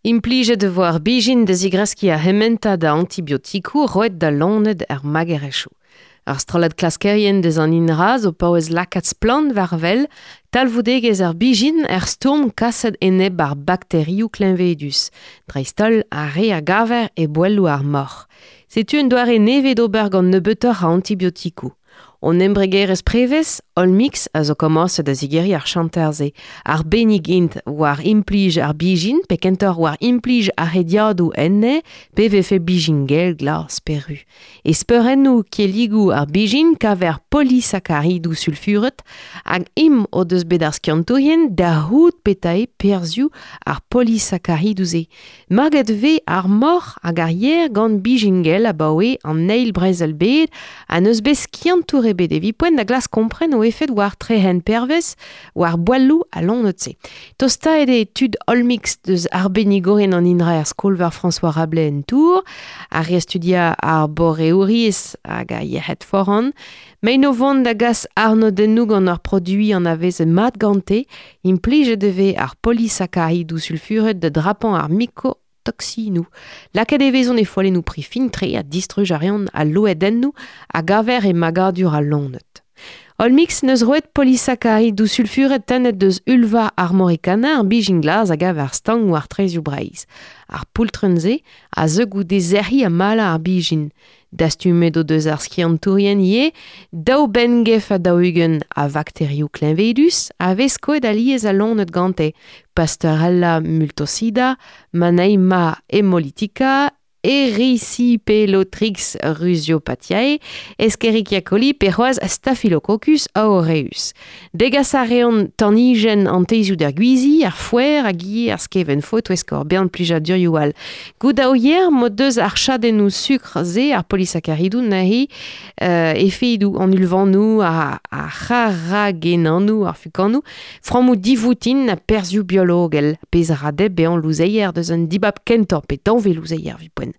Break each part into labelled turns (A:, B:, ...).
A: Implijet e vo ar bijin da zigreskiñ ar c'hementad a antibiotikoù roet da loened er magerezhioù. Ar strollad klaskerien deus an INRA zo paouez lakaat splann war-wel talvoudegezh ar bijin er stourm kaset enep ar bakterioù kleñvedus, dreist-holl ar re a gaver e boelloù ar moc'h. Setu un doare nevez d'ober gant nebeutoc'h a antibiotikoù. Hon embregerezh prevez, Olmix, a zo komañset da zigeriñ ar chanter-se. Arbennik int war implij ar bijin, pe kentoc'h war implij ar rediadoù enne, pe vefe bijin gell, glas pe ru. E speurennoù kelligoù ar bijin kaver polisakaridoù sulfuret, hag im o deus bet ar skiantourien da c'hoût petra eo perzhioù ar polisakaridoù-se. Maget vez ar moc'h hag ar yer gant bijin gell abaoe an eil brezel-bed ha n'eus bet skiantour ebet evit poent da glask kompren o efed war trehen pervez war boelloù al loened-se. Tostaet eo tud Olmix deus arbennigourien an INRA er skol-veur François Rabelais en Tour, ar re studiañ ar boreouriezh hag ar yec'hed foran. Mein o vont da gas arnodennoù gant ur produiñ anavezet mat gante, implijet e vez ar polisakaridoù sulfuret da drapañ ar mikotoksinoù. Lakaet e vezont e follennoù pri fin-tre ha distruj a reont al loedennoù a gaver e magadur al loened. Olmix n'eus roet polisakaridoù sulfuret tennet deus ulva armoricana ar bijin glas a gav ar stank war traezhioù Breizh. Ar poultrenn-se a zeu goude sec'hiñ ha malañ ar bijin. Dastumet o deus ar skiantourien ivez daou benngef ha 40 a vakterioù kleñvedus a vez skoet alies al loened gante, Pasteurella multocida, Mannheimia haemolytica, Erysipelothrix rhusiopathiae, Escherichia coli pe c'hoazh Staphylococcus aureus. Degas a reont tanijenn an teizioù d'ar gwizi, ar foer hag ivez ar skevent-fo e-touesk ur bern plijadurioù all. Goût a ouier m'o deus ar chadennoù sukr-se, ar polisakaridoù neuze, efedoù an ulvanoù, ar c'haragenanoù, ar fukanoù, frammoù divoutin ha perzhioù biologel, pezh a ra dezhe bezañ louzeier deus un dibab kentañ pe danvez louzeier evit poent.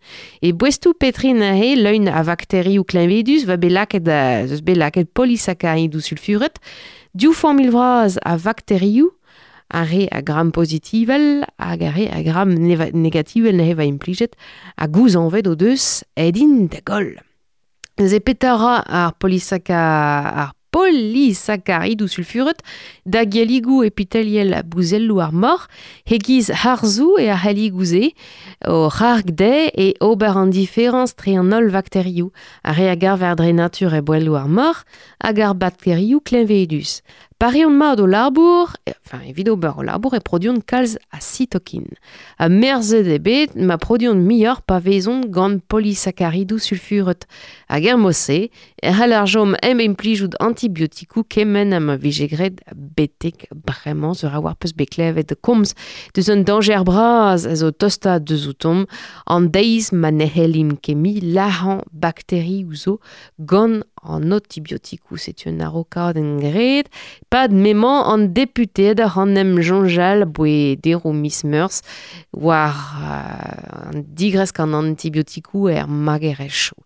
A: E boestoù Petri neuze, leun a vakterioù kleñvedus, va bet lakaet, eus bet lakaet polisakaridoù sulfuret, div familh vras a vakterioù, ar re a gram pozitivel hag ar re a gram negativel neuze va implijet, ha gouzañvet o deus aet int da goll. Neuze petra ra ar polisaka ar polisakaridoù sulfuret da gelligoù epiteliel bouzelloù ar moc'h, e-giz harzoù eo ar c'helligoù-se, o c'harg dezhe e ober an diferañs tre an holl vakterioù, ar re a gaver dre natur e boelloù ar moc'h, hag ar bakterioù kleñvedus. Pa reont mat o labour, enfin evit ober o labour e produont kalz a sitokin. Ha merzet eo bet ma produont muioc'h pa vezont gant polisakaridoù sulfuret. Hag er mod-se e c'haller chom hep implijout antibiotikoù kement ha ma vije graet betek bremañ sur a-walc'h peus bet klevet komz deus un dañjer bras a zo tostaat deus outomp an deiz ma ne c'hellimp ket mui lazhañ bakterioù zo gant an antibiotikoù. Setu un araokadenn graet pad m'emañ an deputeed oc'h en em soñjal aboe deroù miz Meurzh war an digresk an antibiotikoù er magerezhioù.